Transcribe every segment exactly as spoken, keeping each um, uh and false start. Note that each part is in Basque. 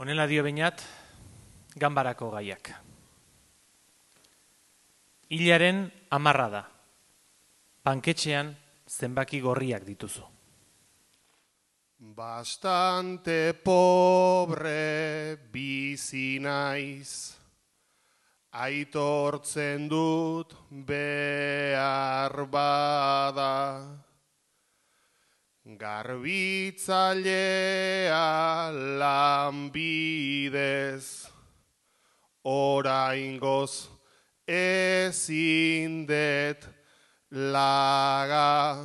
Honela dio beinat, ganbarako gaiak. Hilaren hamarra da. Panketxean zenbaki gorriak dituzu. Bastante pobre bizi naiz, aitortzen dut behar bada. Garbitzailea lanbidez, oraingoz ezin det laga.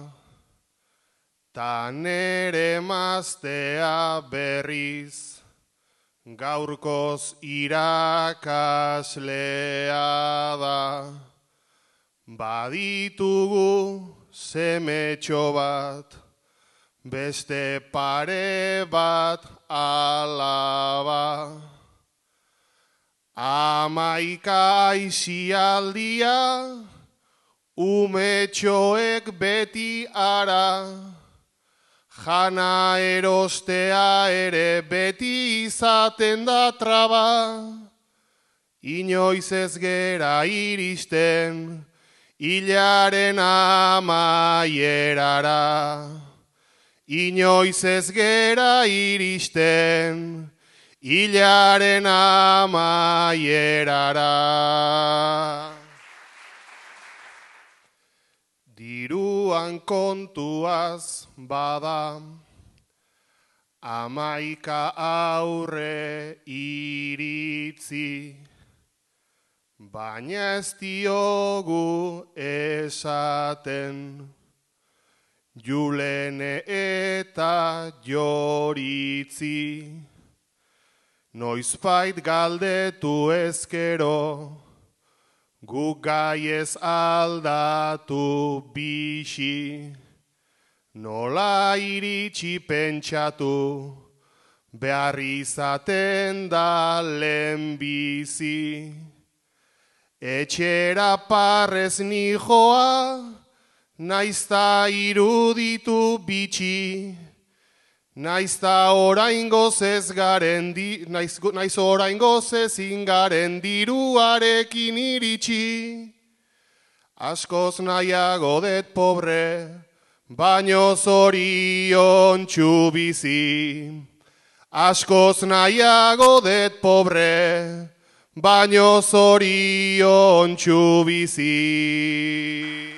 Ta nere emaztea berriz, gaurkoz irakaslea da. Baditugu semetxo bat, beste pare bat alaba. Hamaika aisialdia, umetxoek beti ara. Jana erostea ere beti izaten da traba. Inoiz ez gera iristen, hilaren amaierara. Inoiz ez gera iristen, hilaren amaierara. Diruan kontuaz bada, hamaika aurre iritzi, baina ez diogu esaten, Julene eta Joritzi. Noizbait galdetu ezkero, guk gaiez aldatu bixi. Nola iritsi pentsatu, behar izaten da lehenbizi. Etxera parrez nijoa, naizta iruditu bitxi, naizta oraingoz ez garen di, naiz, naiz oraingoz ezin garen diruarekin iritsi. Askoz nahiago det pobre, baino zoriontsu bizi. Askoz nahiago det pobre, baino zoriontsu bizi.